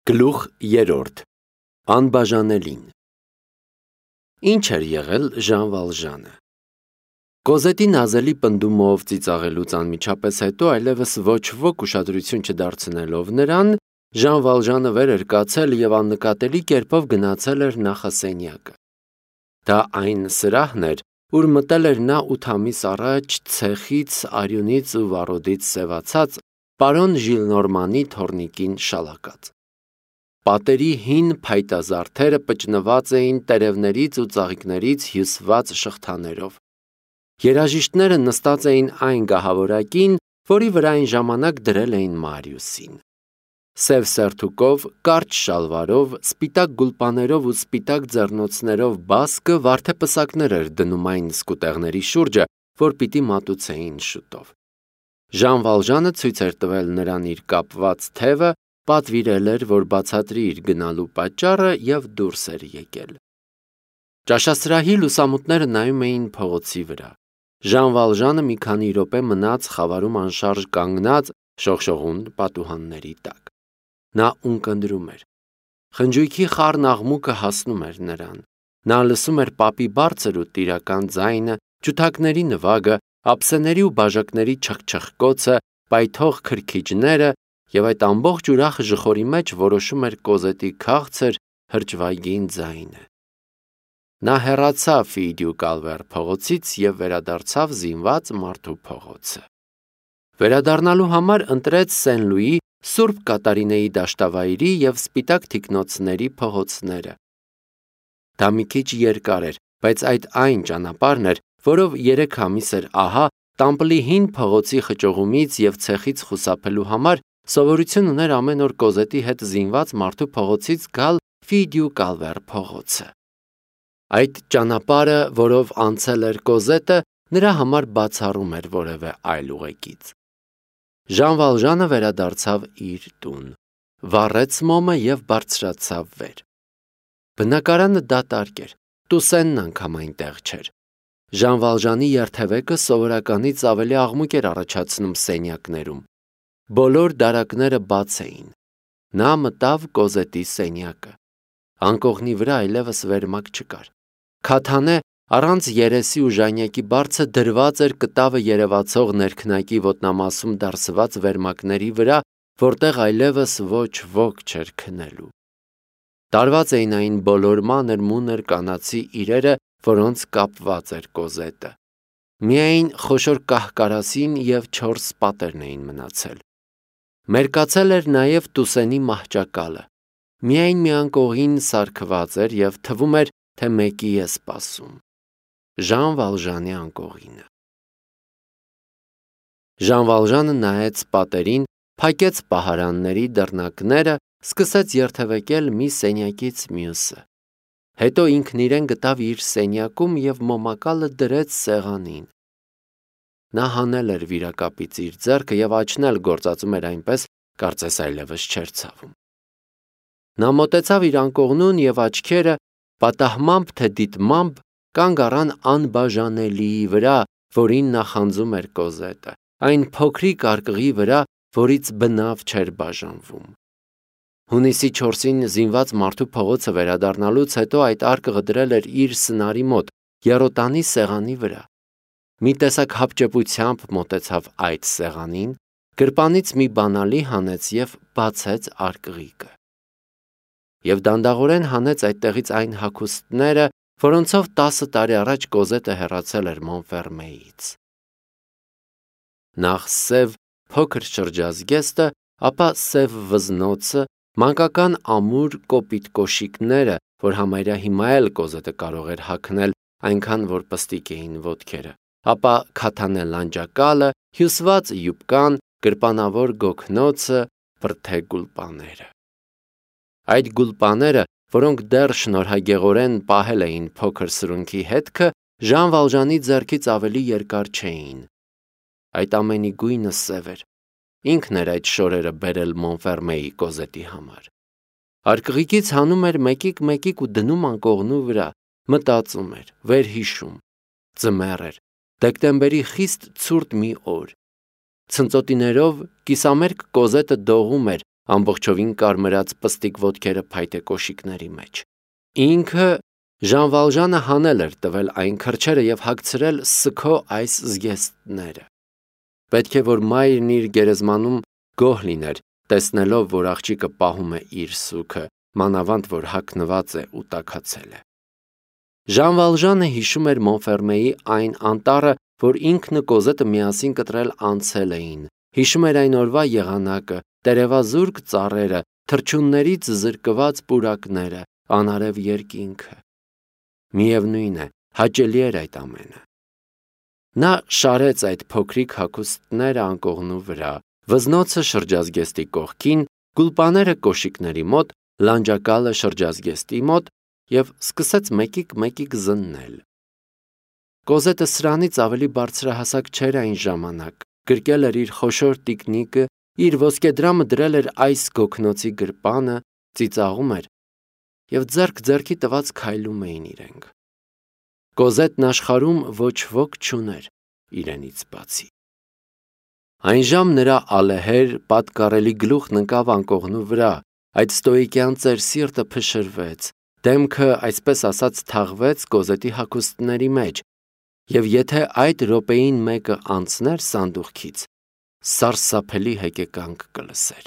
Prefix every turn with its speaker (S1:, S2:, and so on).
S1: Գլուխ 3. Անբաժանելին Ինչ էր եղել Ժան Վալժանը։ Կոզետի նազելի պնդումով ծիծաղելուց անմիջապես հետո այլևս ոչ ոք ուշադրություն չդարձնելով նրան, Ժան Վալժանը վեր էր կացել և աննկատելի կերպով գնացել էր նախասենյակը։ Դա այն սրահն էր, ուր մտել էր նա 8 ամիս առաջ ցեխից, արյունից ու վառոդից սևացած պարոն Ժիլնորմանի թոռնիկին շալակած։ Պատերի հին փայտազարդերը պճնված էին տերևներից ու ծաղիկներից հյուսված շղթաներով։ Երաժիշտները նստած էին այն գահավորակին, որի վրա այն ժամանակ դրել էին Մարիուսին։ Սև սերթուկով, կարճ շալվարով, սպիտակ գուլպաներով ու սպիտակ ձեռնոցներով բասկը վարդեպսակներ էր դնում այն սկուտեղների շուրջը, որ պիտի մատուցեին շուտով։ Ժան Վալժանը ցույց էր տվել նրան իր կապված թևը, պատվիրել էր, որ բացատրի իր գնալու պատճառը և դուրս էր եկել։ Ճաշասրահի լուսամուտները նայում էին փողոցի վրա։ Ժան Վալժանը մի քանի րոպե մնաց խավարում անշարժ կանգնած շողշողուն պատուհանների տակ։ Նա ունկնդրում էր։ Խնջույքի խառն աղմուկը հասնում էր նրան։ Նա լսում էր պապի բարձր ու տիրական ձայնը, ջութակների նվագը, ափսեների ու բաժակների չխչխկոցը, պայթող քրքիջները, և այդ ամբողջ ուրախ ժխորի մեջ որոշում էր Կոզետի քաղցր, հրճվայգին ձայնը։ Նա հեռացավ Ֆիդյու-Կալվեր փողոցից և վերադարձավ զինված մարդու փողոցը։ Վերադառնալու համար ընտրեց Սեն-Լուի, Սուրբ Կատարինեի դաշտավայրի և սպիտակ թիկնոցների փողոցները։ Դա մի քիչ երկար էր, բայց այն ճանապարհն էր, որով 3 ամիս էր ահա Տամպլի հին փողոցի խճողումից և ցեխից խուսափելու համար սովորություն ուներ ամեն օր Կոզետի հետ զինված մարդու փողոցից գալ Ֆիդյու-Կալվեր փողոցը։ Այդ ճանապարհը, որով անցել էր Կոզետը, նրա համար բացառում էր որևէ այլ ուղեկից։ Ժան Վալժանը վերադարձավ իր տուն, վառեց մոմը և բարձրացավ վեր։ Բնակարանը դատարկ էր, Տուսենն անգամ այնտեղ չէր։ Ժան Վալժանի երթևեկը սովորականից ավելի աղմուկ էր առաջացնում սենյակներում։ Բոլոր դարակները բաց էին։ Նա մտավ Կոզետի սենյակը։ Անկողնի վրա այլևս վերմակ չկար։ Քաթանե առանց երեսի ու ժանյակի բարձը դրված էր կտավը երևացող ներքնակի ոտնամասում դարսված վերմակների վրա, որտեղ այլևս ոչ ոք չէր քնելու։ Տարված էին այն բոլոր մանր-մունր կանացի իրերը, որոնց կապված էր Կոզետը։ Միայն խոշոր կահ-կարասին և 4 պատերն էին մնացել։ Մերկացել էր նաև Տուսենի մահճակալը։ Միայն մի անկողին սարքված էր և թվում էր, թե մեկի է սպասում։ Ժան Վալժանի անկողինը։ Ժան Վալժանը նայեց պատերին, փակեց պահարանների դռնակները, սկսեց երթևեկել մի սենյակից մյուսը։ Հետո ինքն իրեն գտավ իր սենյակում և մոմակալը դրեց սեղանին։ Նա հանել էր վիրակապից իր ձեռքը և աչն էլ գործածում էր այնպես, կարծես այլևս չէր ցավում։ Նա մոտեցավ իր անկողնուն և աչքերը, պատահմամբ թե դիտմամբ, կանգ առան անբաժանելիի վրա, որին նախանձում էր Կոզետը, այն փոքրիկ արկղի վրա, որից բնավ չէր բաժանվում։ Հունիսի 4-ին զինված մարդու փողոցը վերադառնալուց հետո այդ արկղը դրել էր իր սնարի մոտ, եռոտանի սեղանի վրա։ Մի տեսակ հապճեպությամբ մոտեցավ այդ սեղանին, գրպանից մի բանալի հանեց և բացեց արկղիկը։ Եվ դանդաղորեն հանեց այդտեղից այն հագուստները, որոնցով 10 տարի առաջ Կոզետը հեռացել էր Մոնֆերմեից։ Նախ սև փոքր շրջազգեստը, ապա սև վզնոցը, մանկական ամուր կոպիտ կոշիկները, որ համարյա հիմա էլ Կոզետը կարող էր հագնել, այնքան որ պստիկ էին ոտքերը, ապա քաթանե լանջակալը, հյուսված յուբկան, գրպանավոր գոգնոցը, բրդե գուլպաները։ Այդ գուլպաները, որոնք դեռ շնորհագեղորեն պահել էին փոքր սրունքի հետքը, Ժան Վալժանի ձեռքից ավելի երկար չէին։ Այդ ամենի գույնը սև էր։ Ինքն էր այդ շորերը բերել Մոնֆերմեի Կոզետի համար։ Արկղիկից հանում էր մեկիկ ու դնում անկողնու վրա, մտածում էր, վերհիշում։ Ձմեռ էր, դեկտեմբերի խիստ ցուրտ մի օր։ Ցնծոտիներով կիսամերկ Կոզետը դողում էր, ամբողջովին կարմրած պստիկ ոտքերը փայտե կոշիկների մեջ։ Ինքը Ժան Վալժանը հանել էր տվել այն քրջերը եւ հագցրել սքո այս զգեստները։ Պետք է որ մայրն իր գերեզմանում գոհ լիներ, տեսնելով, որ աղջիկը պահում է իր սուքը, մանավանդ որ հագնված է ու տաքացել է։ Ժան Վալժանը հիշում էր Մոնֆերմեի այն անտառը, որ ինքն ու Կոզետը միասին կտրել անցել էին, հիշում էր այն օրվա եղանակը, տերևազուրկ ծառերը, թռչուններից զրկված պուրակները, անարև երկինքը։ Միևնույն է, հաճելի էր այդ ամենը։ Նա շարեց այդ փոքրիկ հագուստները անկողնու վրա, վզնոցը շրջազգեստի կողքին, գուլպաները կոշիկների մոտ, լանջակալը շրջազգեստի մոտ և սկսեց մեկիկ զննել։ Կոզետը սրանից ավելի բարձրահասակ չէր այն ժամանակ, գրկել էր իր խոշոր տիկնիկը, իր ոսկեդրամը դրել էր այս գոգնոցի գրպանը, ծիծաղում էր և ձեռք ձեռքի տված քայլում էին իրենք։ Կոզետն աշխարհում ոչ ոք չուներ իրենից բացի։ Այն ժամ նրա ալեհեր, պատկառելի գլուխն ընկավ անկողնու վրա, այդ ստոիկյան ծեր սիրտը փշրվեց, դեմքը, այսպես ասած, թաղվեց Կոզետի հագուստների մեջ, և եթե այդ րոպեին մեկը անցներ սանդուղքից, սարսափելի հեկեկանք կլսեր։